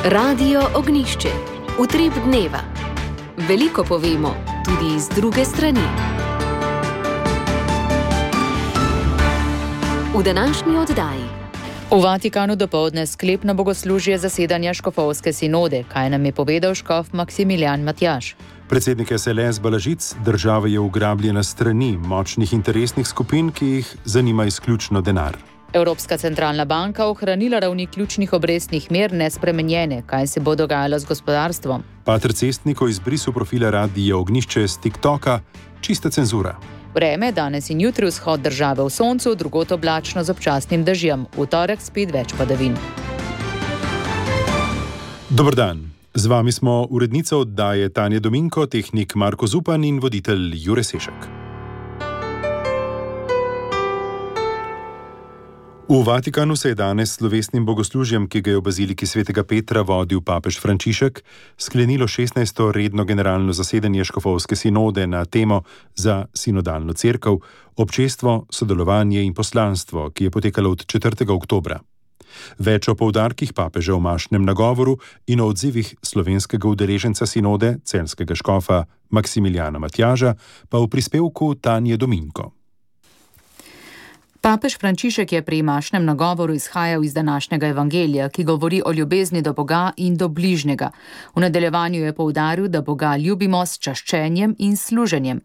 Radio Ognjišče. Utrip dneva. Veliko povemo, tudi iz druge strani. V današnji oddaji. V Vatikanu dopoldne sklepno bogoslužje zasedanja škofovske sinode, kaj nam je povedal škof Maksimilijan Matjaž. Predsednik SLS Balažic, država je ugrabljena strani močnih interesnih skupin, ki jih zanima izključno denar. Evropska centralna banka ohranila ravni ključnih obrestnih mer nespremenjene, kaj se bo dogajalo z gospodarstvom. Pater Cestnik o izbrisu profila Radia Ognjišče z TikToka, čista cenzura. Vreme, danes in jutri vzhod države v soncu, drugot oblačno z občasnim dežjem. V torek spet več padavin. Dober dan. Z vami smo urednica oddaje Tanja Dominko, tehnik Marko Zupan in voditelj Jure Sešek. V Vatikanu se je danes s slovesnim bogoslužjem, ki ga je v baziliki svetega Petra vodil papež Frančišek, sklenilo 16. redno generalno zasedanje škofovske sinode na temo za sinodalno cerkev, občestvo, sodelovanje in poslanstvo, ki je potekalo od 4. oktobra. Več o poudarkih papeža v mašnem nagovoru in o odzivih slovenskega udeleženca sinode, celjskega škofa Maksimilijana Matjaža, pa v prispevku Tanje Dominko. Papež Frančišek je pri mašnem nagovoru izhajal iz današnjega evangelija, ki govori o ljubezni do Boga in do bližnjega. V nadaljevanju je poudaril, da Boga ljubimo s čaščenjem in služenjem.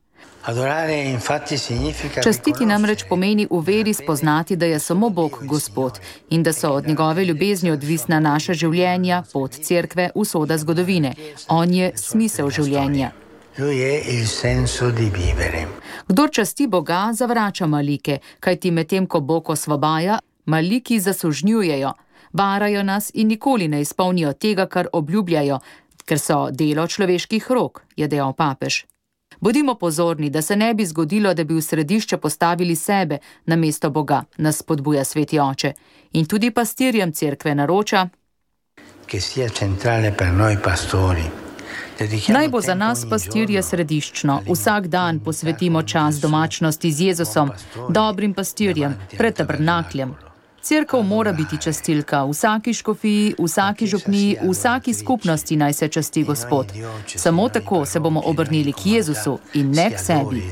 Častiti namreč pomeni v veri spoznati, da je samo Bog Gospod in da so od njegove ljubezni odvisna naša življenja, pot cerkve, usoda zgodovine. On je smisel življenja. Kdor časti Boga, zavrača malike, kajti medtem ko Bog osvobaja, maliki zasužnjujejo, varajo nas in nikoli ne izpolnijo tega, kar obljubljajo, ker so delo človeških rok, je dejal papež. Bodimo pozorni, da se ne bi zgodilo, da bi v središče postavili sebe namesto Boga, nas spodbuja sveti oče. In tudi pastirjem cerkve naroča, naj bo za nas pastirje središčno. Vsak dan posvetimo čas domačnosti z Jezusom, dobrim pastirjem, pred tabernakljem. Cerkev mora biti častilka, v vsaki škofiji, v vsaki župniji, v vsaki skupnosti naj se časti Gospod. Samo tako se bomo obrnili k Jezusu in ne k sebi.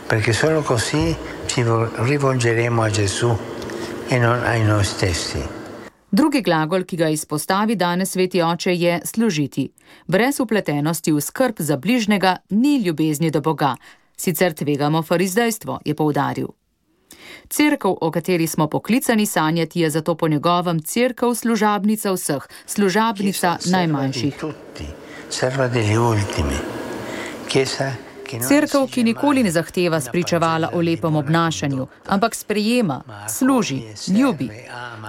Perché solo così ci rivolgeremo a Gesù e non ai noi stessi. Drugi glagol, ki ga izpostavi danes sveti oče, je služiti. Brez vpletenosti v skrb za bližnjega ni ljubezni do Boga. Sicer tvegamo farizdejstvo, je poudaril. Cerkev, o kateri smo poklicani sanjati, je zato po njegovem cerkev služabnica vseh, služabnica najmanjših. Cerkev, ki nikoli ne zahteva spričevala o lepem obnašanju, ampak sprejema, služi, ljubi.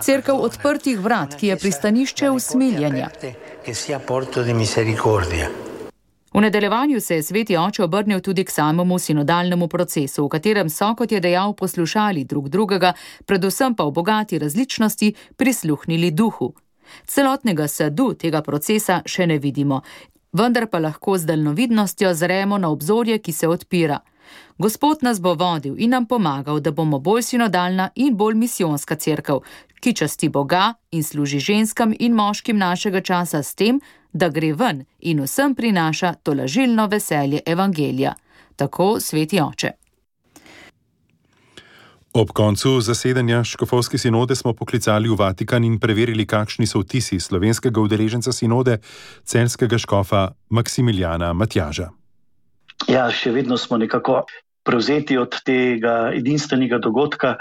Cerkev odprtih vrat, ki je pristanišče usmiljenja. V nadaljevanju se je sveti oče obrnil tudi k samemu sinodalnemu procesu, v katerem so, kot je dejal, poslušali drug drugega, predvsem pa v bogati različnosti prisluhnili duhu. Celotnega sadu tega procesa še ne vidimo, vendar pa lahko z daljnovidnostjo zremo na obzorje, ki se odpira. Gospod nas bo vodil in nam pomagal, da bomo bolj sinodalna in bolj misijonska cerkev, ki časti Boga in služi ženskam in moškim našega časa s tem, da gre ven in vsem prinaša tolažilno veselje evangelija. Tako sveti oče. Ob koncu zasedanja škofovske sinode smo poklicali v Vatikan in preverili, kakšni so vtisi slovenskega udeleženca sinode, celjskega škofa Maksimilijana Matjaža. Ja, še vedno smo nekako prevzeti od tega edinstvenega dogodka.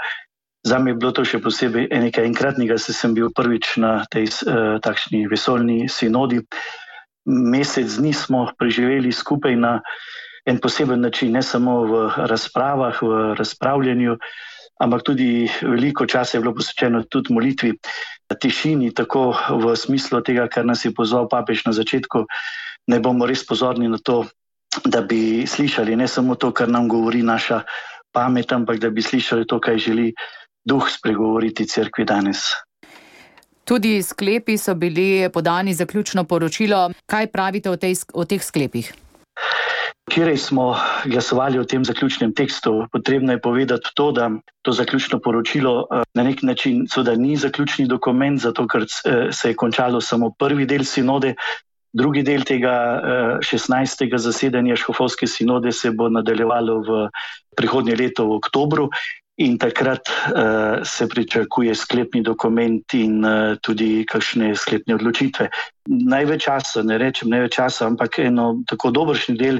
Zame je bilo to še posebej nekaj enkratnega, saj sem bil prvič na tej takšni vesoljni sinodi. Mesec dni smo preživeli skupaj na en poseben način, ne samo v razpravah, v razpravljanju, ampak tudi veliko časa je bilo posvečeno tudi molitvi, tišini, tako v smislu tega, kar nas je pozval papež na začetku, ne bomo res pozorni na to, da bi slišali ne samo to, kar nam govori naša pamet, ampak da bi slišali to, kaj želi Duh spregovoriti cerkvi danes. Tudi sklepi so bili podani, zaključno poročilo. Kaj pravite o teh sklepih? Včeraj smo glasovali o tem zaključnem tekstu. Potrebno je povedati to, da to zaključno poročilo na nek način seveda ni zaključni dokument, zato ker se je končalo samo prvi del sinode. Drugi del tega 16. zasedanja škofovske sinode se bo nadaljevalo v prihodnje leto v oktobru in takrat se pričakuje sklepni dokument in tudi kakšne sklepne odločitve. Največ časa, ne rečem največ časa, ampak eno tako dobršni del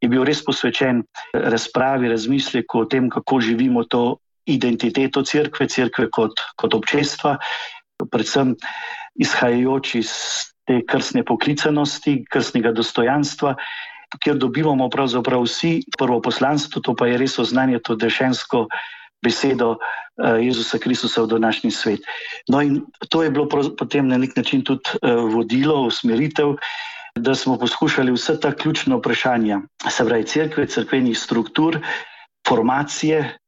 je bil res posvečen razpravi, razmisleku o tem, kako živimo to identiteto cerkve kot občestva, predvsem izhajajoč iz te krstne poklicanosti, krstnega dostojanstva, kjer dobivamo pravzaprav vsi prvo poslanstvo, to pa je res oznanje to dešensko besedo Jezusa Kristusa v današnji svet. No in to je bilo potem na nek način tudi vodilo, usmeritev, da smo poskušali vse ta ključna vprašanja, se pravi cerkve, cerkvenih struktur, formacije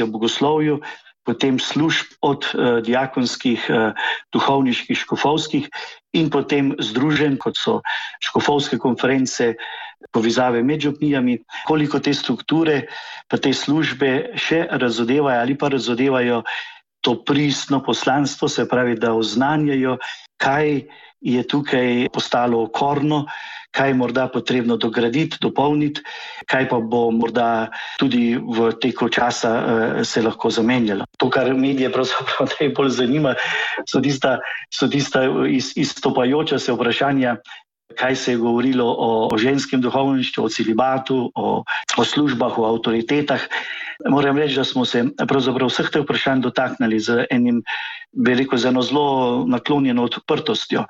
v bogoslovju, potem služb od diakonskih, duhovniških, škofovskih in potem združenj, kot so škofovske konference, povezave med župnijami, koliko te strukture pa te službe še razodevajo ali pa razodevajo to pristno poslanstvo, se pravi, da oznanjajo, kaj je tukaj postalo okorno, kaj je morda potrebno dograditi, dopolniti, kaj pa bo morda tudi v teku časa se lahko zamenjalo. To, kar medije pravzaprav najbolj zanima, so tista izstopajoča se vprašanja, kaj se je govorilo o ženskem duhovništvu, o celibatu, o službah, o avtoritetah. Moram reči, da smo se pravzaprav vseh teh vprašanj dotaknili z enim, bi rekel, z eno zelo naklonjeno odprtostjo,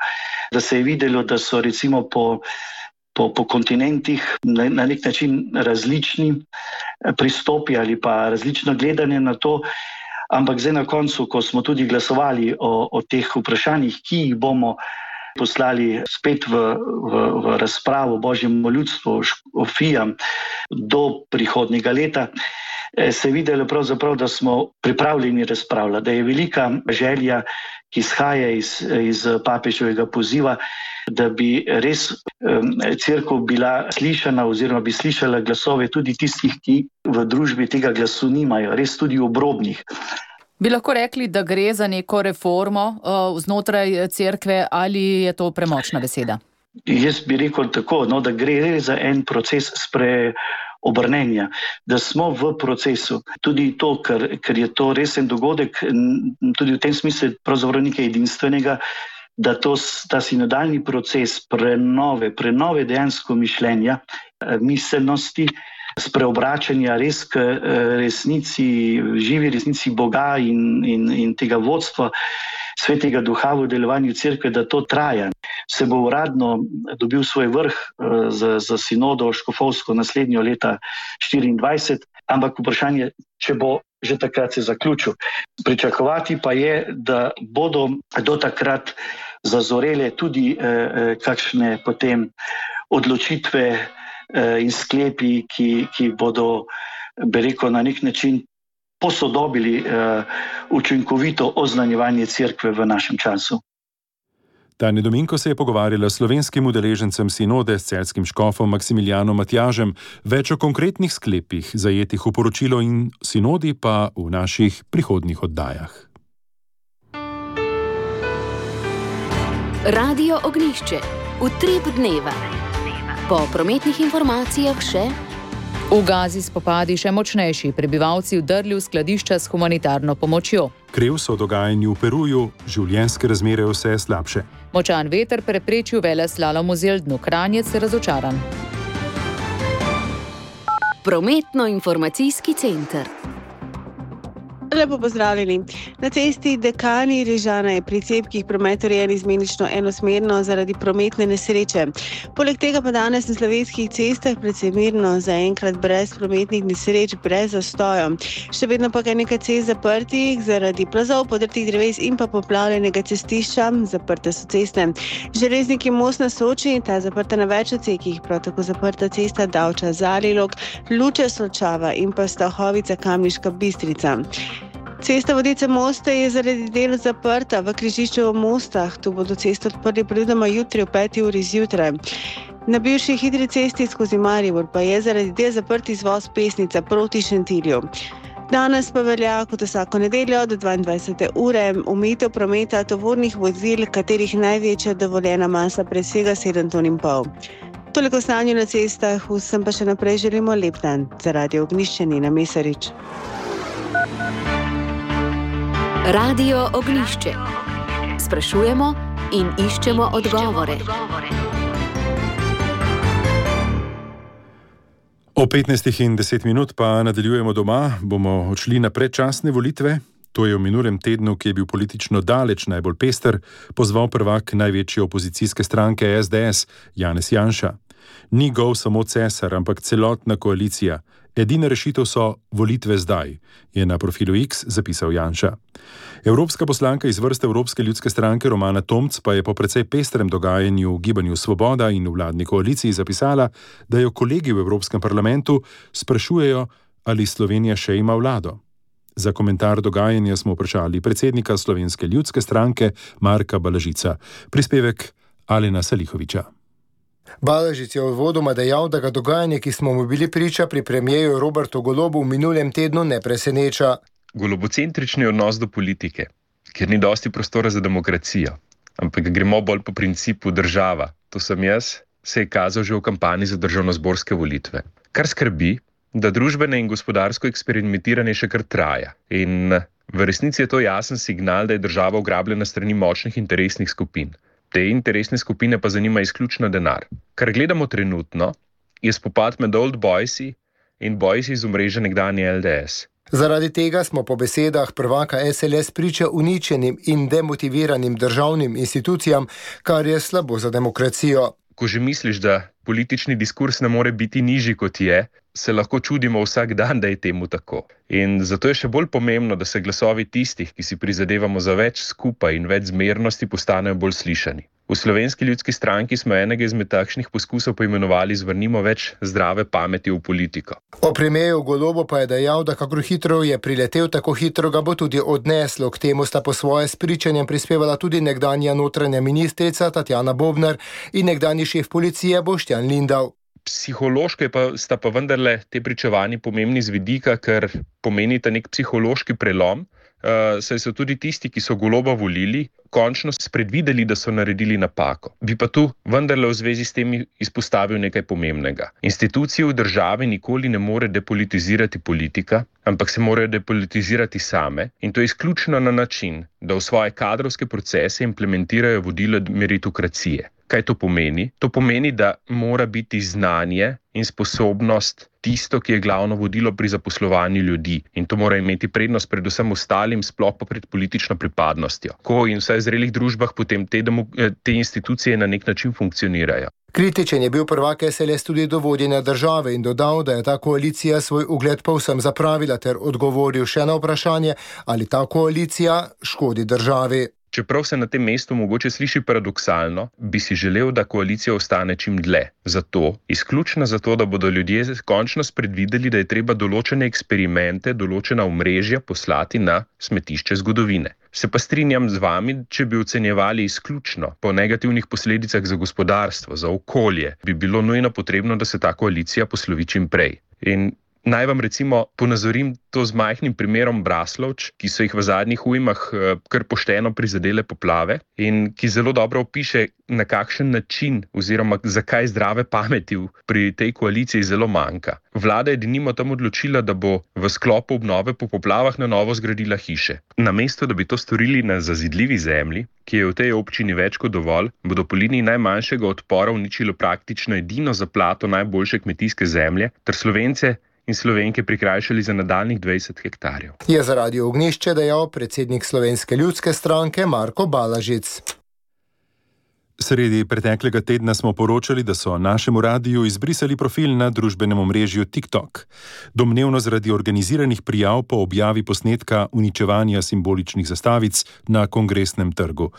da se je videlo, da so recimo po kontinentih na nek način različni pristopi ali pa različno gledanje na to, ampak zdaj na koncu, ko smo tudi glasovali o teh vprašanjih, ki jih bomo poslali spet v razpravo Božjemu ljudstvu, škofijam do prihodnjega leta, se je videlo pravzaprav, da smo pripravljeni razpravljati, da je velika želja, ki izhaja iz papeževega poziva, da bi res cerkev bila slišana oziroma bi slišala glasove tudi tistih, ki v družbi tega glasu nimajo, res tudi obrobnih. Bi lahko rekli, da gre za neko reformo znotraj cerkve ali je to premočna beseda? Jaz bi rekel tako, da gre za en proces obrnenja, da smo v procesu. Tudi to, ker je to resen dogodek, tudi v tem smislu pravzaprav nekaj edinstvenega, da ta sinodalni proces prenove dejansko mišljenja, miselnosti, spreobračanja res k resnici, živi resnici Boga in tega vodstva Svetega Duha v delovanju cerkve, da to traja. Se bo uradno dobil svoj vrh za sinodo škofovsko naslednjo leta 2024, ampak vprašanje, če bo že takrat se zaključil. Pričakovati pa je, da bodo do takrat zazorele tudi kakšne potem odločitve in sklepi, ki bodo, bi rekel, na nek način posodobili učinkovito oznanjevanje cerkve v našem času. Tanja Dominko se je pogovarjala s slovenskim udeležencem sinode, s celjskim škofom Maksimilijanom Matjažem, več o konkretnih sklepih, zajetih v poročilo in sinodi pa v naših prihodnjih oddajah. Radio Ognjišče, utrip dneva. Po prometnih informacijah še: v Gazi spopadi še močnejši, prebivalci vdrli v skladišča s humanitarno pomočjo. Krev so dogajanju v Peruju, življenjske razmere vse slabše. Močan veter preprečil veleslalom v Zeldnu, Kranjec razočaran. Prometno-informacijski center. Lepo pozdravljeni. Na cesti Dekani Rižana je pri cepkih promet urejen izmenično enosmerno zaradi prometne nesreče. Poleg tega pa danes na slovenskih cestah predvsem mirno, zaenkrat brez prometnih nesreč, brez zastojev. Še vedno pa je nekaj cest zaprtih zaradi plazov, podrtih dreves in pa poplavljenega cestišča. Zaprte so ceste železniki most na Soči, ta zaprta na več odsekih, prav tako zaprta cesta Davča-Zalilok, Luče-Solčava in pa Stahovica-Kamniška Bistrica. Cesta Vodice-Moste je zaradi del zaprta v križišču v Mostah. Tu bodo cesto odprli predvidoma jutri ob 5. uri zjutraj. Na bivši hitri cesti skozi Maribor pa je zaradi del zaprt izvoz Pesnica proti Šentilju. Danes pa velja kot vsako nedeljo do 22. ure omejitev prometa tovornih vozil, katerih največja dovoljena masa presega 7,5 ton. Toliko o stanju na cestah, vsem pa še naprej želimo lep dan. Za Radio Ognjišče Nina Mesarič. Radio Ognjišče. Sprašujemo in iščemo odgovore. O 15:10 pa nadaljujemo doma, bomo odšli na predčasne volitve. To je v minulem tednu, ki je bil politično daleč najbolj pester, pozval prvak največje opozicijske stranke SDS, Janez Janša. Ni gol samo cesar, ampak celotna koalicija. Edina rešitev so volitve zdaj, je na profilu X zapisal Janša. Evropska poslanka iz vrste Evropske ljudske stranke Romana Tomc pa je po precej pestrem dogajanju v Gibanju Svoboda in v vladni koaliciji zapisala, da jo kolegi v Evropskem parlamentu sprašujejo, ali Slovenija še ima vlado. Za komentar dogajanja smo vprašali predsednika Slovenske ljudske stranke Marka Balažica. Prispevek Alena Salihoviča. Balažic je uvodoma dejal, da ga dogajanje, ki smo mu bili priča pri premierju Robertu Golobu v minulem tednu, ne preseneča. Golobocentrični odnos do politike, ker ni dosti prostora za demokracijo, ampak gremo bolj po principu država, to sem jaz, se je kazal že v kampanji za državnozborske volitve. Kar skrbi, da družbene in gospodarsko eksperimentiranje še kar traja. In v resnici je to jasen signal, da je država ugrabljena strani močnih interesnih skupin. Te interesne skupine pa zanima izključno denar. Kar gledamo trenutno, je spopad med Old Boysi in Boysi iz omrežja nekdanje LDS. Zaradi tega smo po besedah prvaka SLS priča uničenim in demotiviranim državnim institucijam, kar je slabo za demokracijo. Ko že misliš, da politični diskurs ne more biti nižji kot je, se lahko čudimo vsak dan, da je temu tako. In zato je še bolj pomembno, da se glasovi tistih, ki si prizadevamo za več skupaj in več zmernosti, postanejo bolj slišani. V Slovenski ljudski stranki smo enega izmed takšnih poskusov poimenovali Zvrnimo več zdrave pameti v politiko. O premierju Golobu pa je dejal, da kakor hitro je priletel, tako hitro ga bo tudi odneslo. K temu sta po svoje s pričanjem prispevala tudi nekdanja notranja ministrica Tatjana Bobnar in nekdanji šef policije Boštjan Lindav. Psihološko sta pa vendarle te pričevanji pomembni z vidika, ker pomenita nek psihološki prelom, saj so tudi tisti, ki so Goloba volili, končno spredvideli, da so naredili napako. Bi pa tu vendarle v zvezi s tem izpostavil nekaj pomembnega. Institucije v državi nikoli ne more depolitizirati politika, ampak se morajo depolitizirati same, in to izključno na način, da v svoje kadrovske procese implementirajo vodilo meritokracije. Kaj to pomeni? To pomeni, da mora biti znanje in sposobnost tisto, ki je glavno vodilo pri zaposlovanju ljudi. In to mora imeti prednost predvsem ostalim, sploh pa pred politično pripadnostjo. Ko in vsaj v zrelih družbah potem te institucije na nek način funkcionirajo. Kritičen je bil prvak SLS tudi do vodenja države in dodal, da je ta koalicija svoj ugled povsem zapravila, ter odgovoril še na vprašanje, ali ta koalicija škodi državi. Čeprav se na tem mestu mogoče sliši paradoksalno, bi si želel, da koalicija ostane čim dlje. Izključno zato, da bodo ljudje končno spredvideli, da je treba določene eksperimente, določena omrežja poslati na smetišče zgodovine. Se pa strinjam z vami, če bi ocenjevali izključno po negativnih posledicah za gospodarstvo, za okolje, bi bilo nujno potrebno, da se ta koalicija poslovi čim prej. In naj vam recimo ponazorim to z majhnim primerom Braslovč, ki so jih v zadnjih ujmah kar pošteno prizadele poplave in ki zelo dobro opiše, na kakšen način oziroma zakaj zdrave pameti pri tej koaliciji zelo manjka. Vlada je denimo tam odločila, da bo v sklopu obnove po poplavah na novo zgradila hiše. Namesto, da bi to storili na zazidljivi zemlji, ki je v tej občini več kot dovolj, bodo po liniji najmanjšega odpora uničilo praktično edino zaplato najboljše kmetijske zemlje ter Slovence in Slovenke prikrajšali za nadaljnjih 20 hektarjev. Je za Radio Ognjišče dejal predsednik Slovenske ljudske stranke Marko Balažic. Sredi preteklega tedna smo poročali, da so našemu radiju izbrisali profil na družbenem omrežju TikTok. Domnevno zaradi organiziranih prijav po objavi posnetka uničevanja simboličnih zastavic na Kongresnem trgu.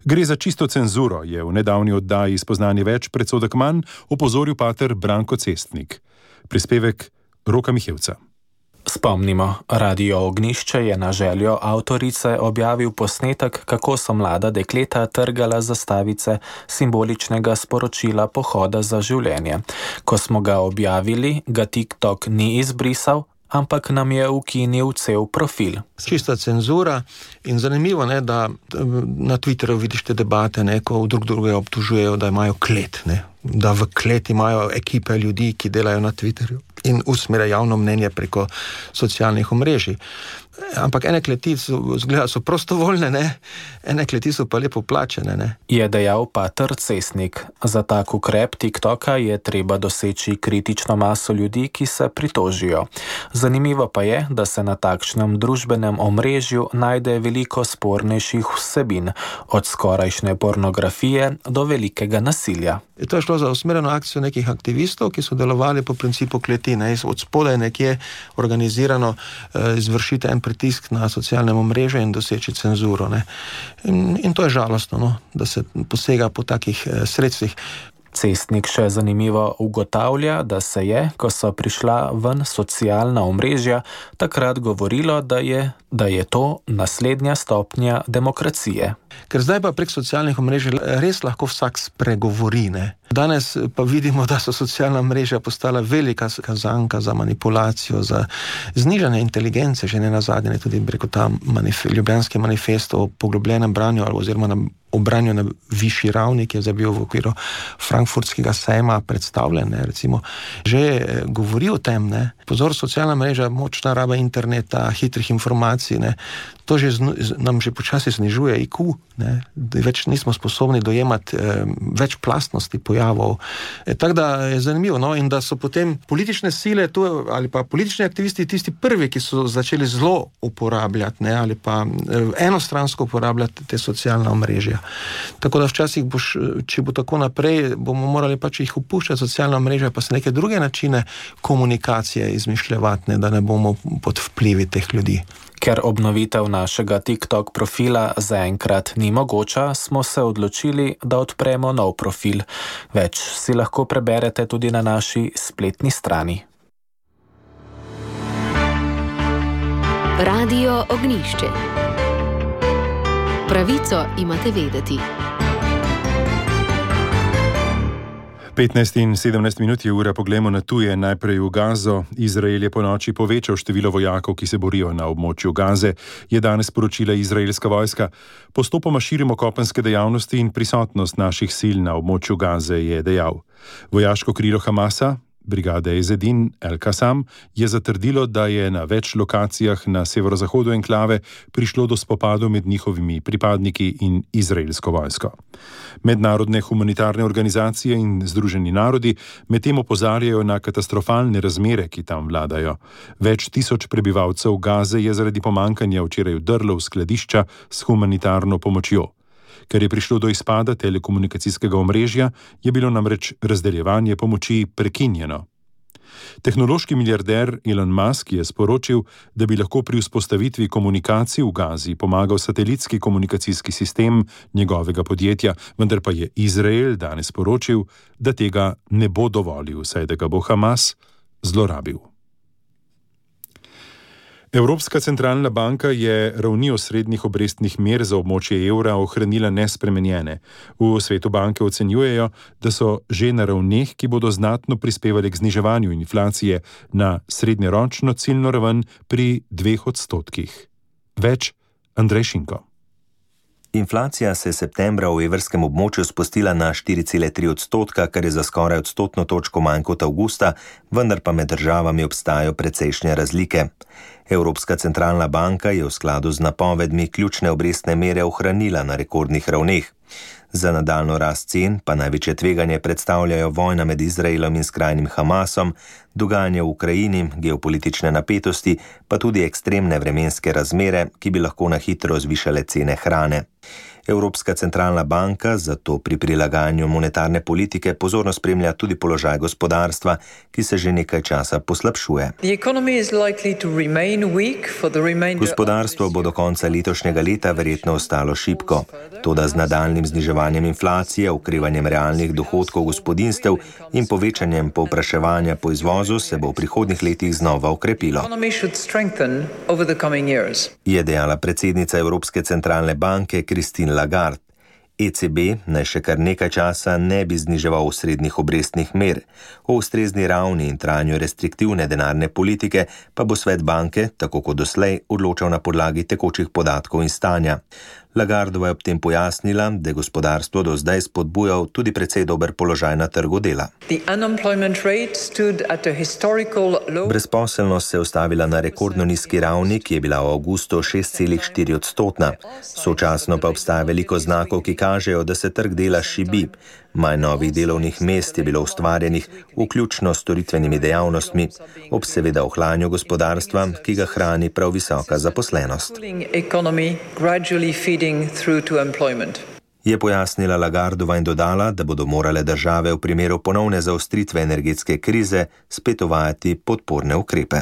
Gre za čisto cenzuro, je v nedavni oddaji Spoznanje več predsodek manj opozoril pater Branko Cestnik. Prispevek Roka Mihevca. Spomnimo, Radio Ognjišče je na željo avtorice objavil posnetek, kako so mlada dekleta trgala zastavice simboličnega sporočila Pohoda za življenje. Ko smo ga objavili, ga TikTok ni izbrisal, ampak nam je ukinil cel profil. Čista cenzura in zanimivo, da na Twitterju vidiš te debate, ko drug drugega obtužujejo, da imajo klet, da v klet imajo ekipe ljudi, ki delajo na Twitterju in usmerjajo javno mnenje preko socialnih omrežij. Ampak ene kleti so prostovoljne, ene kleti so pa lepo plačene. Je dejal pater Cesnik. Za tak ukrep TikToka je treba doseči kritično maso ljudi, ki se pritožijo. Zanimivo pa je, da se na takšnem družbenem omrežju najde veliko spornejših vsebin, od skorajšnje pornografije do velikega nasilja. To je šlo za usmerjeno akcijo nekih aktivistov, ki so delovali po principu kleti, od spodaj nekje organizirano izvršiti en pritisk na socialnem omrežju in doseči cenzuro. In to je žalostno, da se posega po takih sredstvih. Cestnik še zanimivo ugotavlja, da se je, ko so prišla ven socialna omrežja, takrat govorilo, da je to naslednja stopnja demokracije. Ker zdaj pa prek socialnih omrežij res lahko vsak spregovori. Danes pa vidimo, da so socialna mreža postala velika kazanka za manipulacijo, za znižanje inteligence, že ne nazadnje, tudi preko ta ljubljanski manifest o poglobljenem branju oziroma o branju na višji ravni, ki je zdaj bil v okviru frankfurtskega sejma predstavljen, recimo, že govori o tem, Pozor, socialna mreža, močna raba interneta, hitrih informacij, to nam že počasi znižuje IQ, več nismo sposobni dojemati več plastnosti pojavov. Tako da je zanimivo, in da so potem politične sile ali pa politični aktivisti tisti prvi, ki so začeli zelo uporabljati, ali pa enostransko uporabljati te socialna omrežja. Tako da včasih če bo tako naprej, bomo morali pač jih opuščati socialna omrežja, pa se neke druge načine komunikacije izmišljevati, da ne bomo pod vplivi teh ljudi. Ker obnovitev našega TikTok profila zaenkrat ni mogoča, smo se odločili, da odpremo nov profil. Več si lahko preberete tudi na naši spletni strani. Radio Ognjišče. Pravico imate vedeti. 15 in 17 minut je ura, poglejmo na tuje, najprej v Gazo. Izrael je ponoči povečal število vojakov, ki se borijo na območju Gaze, je danes sporočila izraelska vojska. Postopoma širimo kopenske dejavnosti in prisotnost naših sil na območju Gaze, je dejal. Vojaško krilo Hamasa, brigade Ezedin El-Qassam, je zatrdilo, da je na več lokacijah na severozahodu enklave prišlo do spopadov med njihovimi pripadniki in izraelsko vojsko. Mednarodne humanitarne organizacije in Združeni narodi medtem opozarjajo na katastrofalne razmere, ki tam vladajo. Več tisoč prebivalcev Gaze je zaradi pomanjkanja včeraj vdrlo v skladišča s humanitarno pomočjo. Ker je prišlo do izpada telekomunikacijskega omrežja, je bilo namreč razdeljevanje pomoči prekinjeno. Tehnološki milijarder Elon Musk je sporočil, da bi lahko pri vzpostavitvi komunikacij v Gazi pomagal satelitski komunikacijski sistem njegovega podjetja, vendar pa je Izrael danes sporočil, da tega ne bo dovolil, saj da ga bo Hamas zlorabil. Evropska centralna banka je ravni osrednjih obrestnih mer za območje evra ohranila nespremenjene. V svetu banke ocenjujejo, da so že na ravneh, ki bodo znatno prispevali k zniževanju inflacije na srednjeročno ciljno raven pri 2%. Več Andrej Šinko. Inflacija se je septembra v evrskem območju spustila na 4,3%, kar je za skoraj odstotno točko manj kot avgusta, vendar pa med državami obstajajo precejšnje razlike. Evropska centralna banka je v skladu z napovedmi ključne obrestne mere ohranila na rekordnih ravneh. Za nadaljnjo rast cen pa največje tveganje predstavljajo vojna med Izraelom in skrajnim Hamasom, dogajanje v Ukrajini, geopolitične napetosti, pa tudi ekstremne vremenske razmere, ki bi lahko na hitro zvišale cene hrane. Evropska centralna banka zato pri prilagajanju monetarne politike pozorno spremlja tudi položaj gospodarstva, ki se že nekaj časa poslabšuje. Gospodarstvo bo do konca letošnjega leta verjetno ostalo šibko. Toda z nadaljnjim zniževanjem inflacije, okrevanjem realnih dohodkov gospodinjstev in povečanjem povpraševanja po izvozu se bo v prihodnjih letih znova okrepilo, je dejala predsednica Evropske centralne banke Christine Lagarde. ECB naj še kar nekaj časa ne bi zniževal osrednjih obrestnih mer. O ustrezni ravni in trajanju restriktivne denarne politike pa bo svet banke, tako kot doslej, odločal na podlagi tekočih podatkov in stanja. Lagardova je ob tem pojasnila, da je gospodarstvo do zdaj spodbujal tudi precej dober položaj na trgu dela. Brezposelnost se je ustavila na rekordno nizki ravni, ki je bila v avgustu 6,4%. Sočasno pa obstaja veliko znakov, ki kažejo, da se trg dela šibi. Manj novih delovnih mest je bilo ustvarjenih, vključno s storitvenimi dejavnostmi, ob seveda ohlajanju gospodarstva, ki ga hrani prav visoka zaposlenost. Je pojasnila Lagardova in dodala, da bodo morale države v primeru ponovne zaostritve energetske krize spet uvajati podporne ukrepe.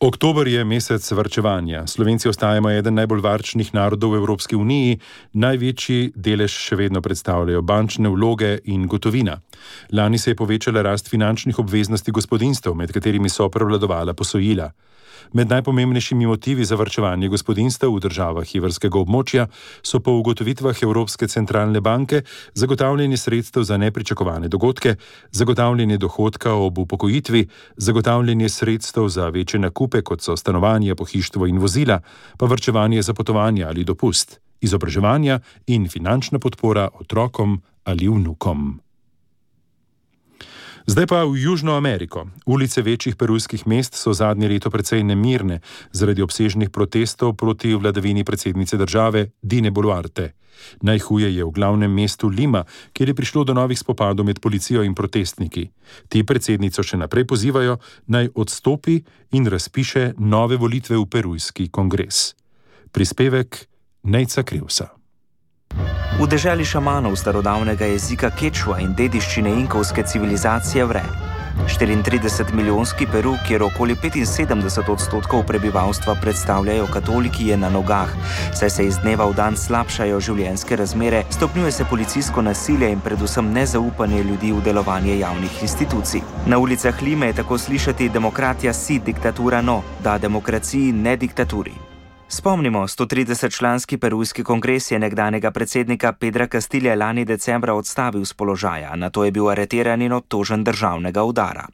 Oktober je mesec varčevanja. Slovenci ostajamo eden najbolj varčnih narodov v Evropski uniji, največji delež še vedno predstavljajo bančne vloge in gotovina. Lani se je povečala rast finančnih obveznosti gospodinjstev, med katerimi so prevladovala posojila. Med najpomembnejšimi motivi za varčevanje gospodinjstev v državah evrskega območja so po ugotovitvah Evropske centralne banke zagotavljanje sredstev za nepričakovane dogodke, zagotavljanje dohodka ob upokojitvi, zagotavljanje sredstev za večje nakupe, kot so stanovanje, pohištvo in vozila, pa varčevanje za potovanja ali dopust, izobraževanja in finančna podpora otrokom ali vnukom. Zdaj pa v Južno Ameriko. Ulice večjih perujskih mest so zadnje leto precej nemirne zaradi obsežnih protestov proti vladavini predsednice države Dine Boluarte. Najhuje je v glavnem mestu Lima, kjer je prišlo do novih spopadov med policijo in protestniki. Ti predsednico še naprej pozivajo, naj odstopi in razpiše nove volitve v perujski kongres. Prispevek Nejca Krivsa. V deželi šamanov starodavnega jezika kečua in dediščine inkovske civilizacije vre. 34-milijonski Peru, kjer okoli 75% prebivalstva predstavljajo katoliki, je na nogah, saj se iz dneva v dan slabšajo življenjske razmere, stopnjuje se policijsko nasilje in predvsem nezaupanje ljudi v delovanje javnih institucij. Na ulicah Lime je tako slišati demokratija si, diktatura no, da demokraciji ne diktaturi. Spomnimo, 130-članski perujski kongres je nekdanjega predsednika Pedra Castilja lani decembra odstavil z položaja, nato je bil areteran in obtožen državnega udara.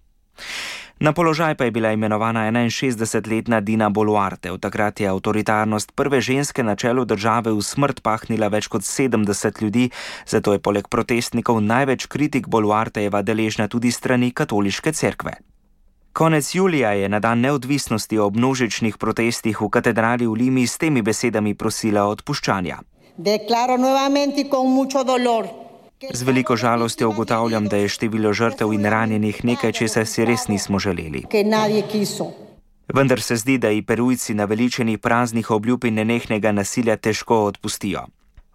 Na položaj pa je bila imenovana 61-letna Dina Boluarte. Od takrat je avtoritarnost prve ženske na čelu države v smrt pahnila več kot 70 ljudi, zato je poleg protestnikov največ kritik Boluartejeva deležna tudi strani katoliške cerkve. Konec julija je na dan neodvisnosti ob množičnih protestih v katedrali v Limi s temi besedami prosila odpuščanja. Z veliko žalostjo ugotavljam, da je število žrtev in ranjenih nekaj, česar si res nismo želeli. Vendar se zdi, da i Perujci naveličeni praznih obljub in nenehnega nasilja težko odpustijo.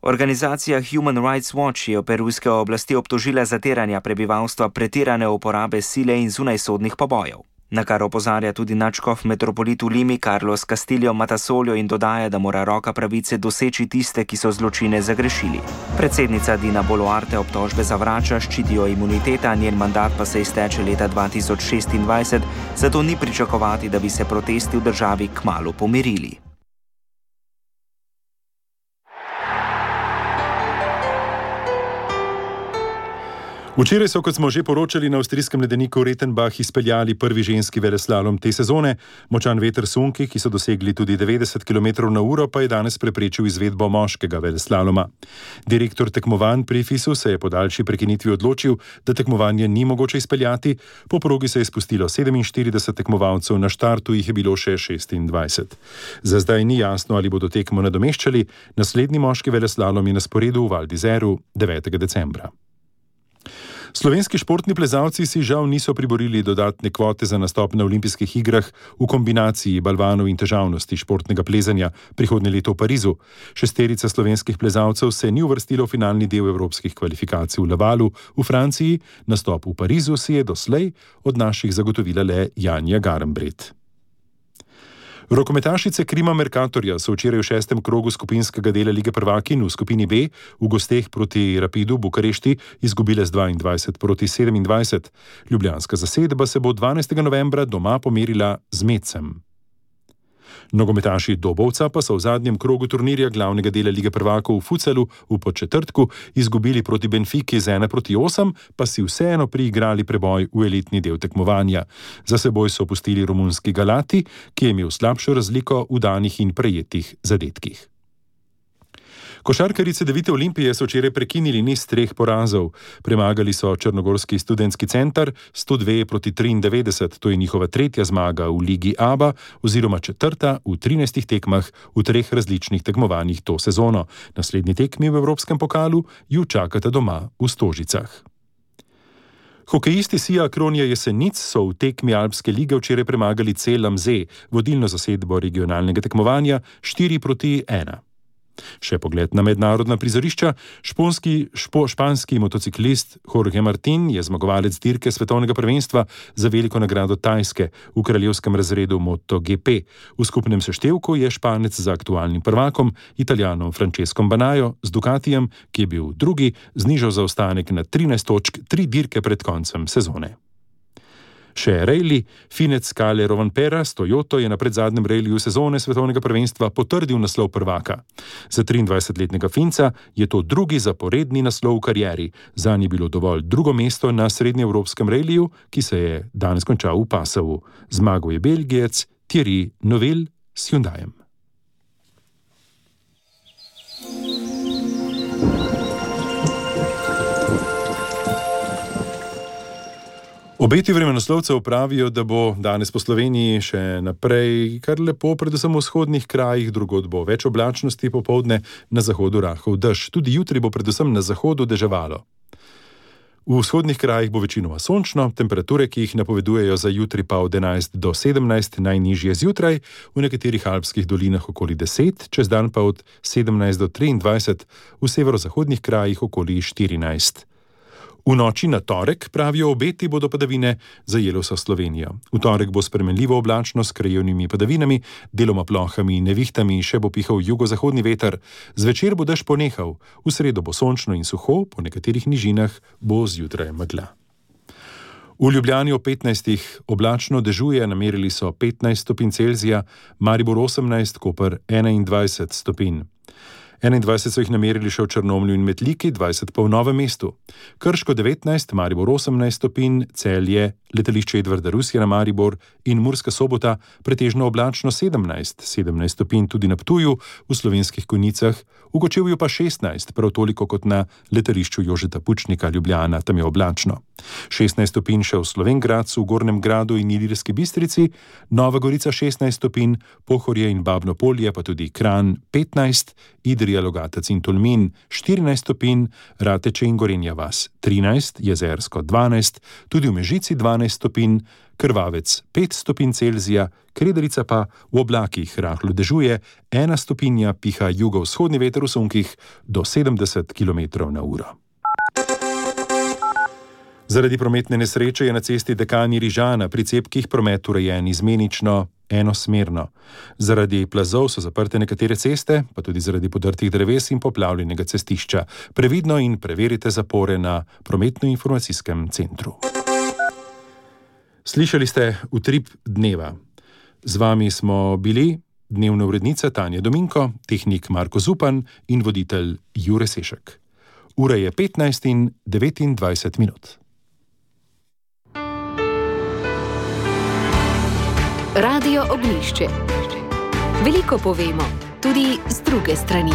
Organizacija Human Rights Watch je perujske oblasti obtožila zatiranja prebivalstva, pretirane uporabe sile in zunajsodnih pobojev. Na kar opozarja tudi nadškof metropolit v Limi Carlos Castillo Matasoljo in dodaja, da mora roka pravice doseči tiste, ki so zločine zagrešili. Predsednica Dina Boluarte obtožbe zavrača, ščitijo imuniteta, njen mandat pa se izteče leta 2026, zato ni pričakovati, da bi se protesti v državi kmalu pomirili. Včeraj so, kot smo že poročali, na avstrijskem ledeniku Rettenbach izpeljali prvi ženski veleslalom te sezone. Močan veter sunki, ki so dosegli tudi 90 km/h, pa je danes preprečil izvedbo moškega veleslaloma. Direktor tekmovanj pri FIS-u se je po daljši prekinitvi odločil, da tekmovanje ni mogoče izpeljati. Po progi se je spustilo 47 tekmovalcev, na štartu jih je bilo še 26. Za zdaj ni jasno, ali bodo tekmo nadomeščali. Naslednji moški veleslalom je na sporedu v Val d'Izeru 9. decembra. Slovenski športni plezalci si žal niso priborili dodatne kvote za nastop na olimpijskih igrah v kombinaciji balvanov in težavnosti športnega plezanja prihodnje leto v Parizu. 6 slovenskih plezalcev se ni uvrstilo v finalni del evropskih kvalifikacij v Lavalu v Franciji. Nastop v Parizu si je doslej od naših zagotovila le Janja Garnbret. Rokometašice Krima Mercatorja so včeraj v 6. krogu skupinskega dela Lige prvakinj v skupini B v gosteh proti Rapidu Bukarešti izgubile z 22-27. Ljubljanska zasedba se bo 12. novembra doma pomerila z Mecem. Nogometaši Dobovca pa so v zadnjem krogu turnirja glavnega dela Lige prvakov v Futselu v Podčetrtku izgubili proti Benfiki z 1-8, pa si vseeno priigrali preboj v elitni del tekmovanja. Za seboj so pustili romunski Galati, ki je imel slabšo razliko v danih in prejetih zadetkih. Košarkarice Devite Olimpije so včeraj prekinili niz 3 porazov. Premagali so Črnogorski študentski center 102-93, to je njihova 3. zmaga v Ligi ABA oziroma 4. v 13 tekmah v 3 različnih tekmovanjih to sezono. Naslednji tekmi v Evropskem pokalu ju čakata doma v Stožicah. Hokejisti Sija Kronja Jesenic so v tekmi Alpske lige včeraj premagali Celam Z, vodilno zasedbo regionalnega tekmovanja 4-1. Še pogled na mednarodna prizorišča. Španski motociklist Jorge Martin je zmagovalec dirke svetovnega prvenstva za veliko nagrado Tajske v kraljevskem razredu MotoGP. V skupnem seštevku je Španec za aktualnim prvakom, Italijanom Francescom Banajo z Ducatijem, ki je bil drugi, znižal zaostanek na 13 točk 3 dirke pred koncem sezone. Še rejli, Finec Kalle Rovanpera s Toyoto je na predzadnjem rejliju sezone svetovnega prvenstva potrdil naslov prvaka. Za 23-letnega Finca je to drugi zaporedni naslov v karieri. Zanj je bilo dovolj drugo mesto na srednjeevropskem rejliju, ki se je danes končal v Passavu. Zmagal je Belgijec Thierry Neuville s Hyundaiem. Obeti vremenoslovcev pravijo, da bo danes po Sloveniji še naprej kar lepo, predvsem v vzhodnih krajih, drugod bo več oblačnosti, popoldne na zahodu rahel dež. Tudi jutri bo predvsem na zahodu deževalo. V vzhodnih krajih bo večinoma sončno, temperature, ki jih napovedujejo za jutri pa od 11 do 17, najnižje zjutraj, v nekaterih alpskih dolinah okoli 10, čez dan pa od 17 do 23, v severozahodnih krajih okoli 14. V noči na torek, pravijo obeti, bodo padavine zajele vso Slovenijo. V torek bo spremenljivo oblačno s krajevnimi padavinami, deloma plohami in nevihtami, še bo pihal jugozahodni veter. Zvečer bo dež ponehal, v sredo bo sončno in suho, po nekaterih nižinah bo zjutraj megla. V Ljubljani o 15 oblačno dežuje, namerili so 15 stopinj Celzija, Maribor 18, Koper 21 stopinj. 21 so jih namerili še v Črnomlju in Metliki, 20 pa v Novem mestu. Krško 19, Maribor 18 stopinj, Celje, letališče Edvarda Rusija na Maribor in Murska Sobota pretežno oblačno 17 stopinj tudi na Ptuju, v Slovenskih Konjicah, v Kočevju pa 16, prav toliko kot na letališču Jožeta Pučnika Ljubljana, tam je oblačno. 16 stopinj še v Slovenj Gradcu, v Gornjem Gradu in Ilirski Bistrici, Nova Gorica 16 stopinj, Pohorje in Babno Polje pa tudi Kranj 15, Idrija, Logatec in Tolmin 14 stopinj, Rateče in Gorenja vas 13, Jezersko 12, tudi v Mežici 12 stopinj, Krvavec 5 stopinj Celzija, Krederica pa v oblakih rahlo dežuje, 1 stopinja piha jugovzhodni veter v sunkih do 70 km/h. Zaradi prometne nesreče je na cesti Dekani Rižana pri Cepkih promet urejen izmenično enosmerno. Zaradi plazov so zaprte nekatere ceste, pa tudi zaradi podrtih dreves in poplavljenega cestišča. Previdno in preverite zapore na prometno-informacijskem centru. Slišali ste Utrip dneva. Z vami smo bili dnevna urednica Tanja Dominko, tehnik Marko Zupan in voditelj Jure Sešek. Ura je 15:29. Radio Ognjišče. Veliko povemo, tudi z druge strani.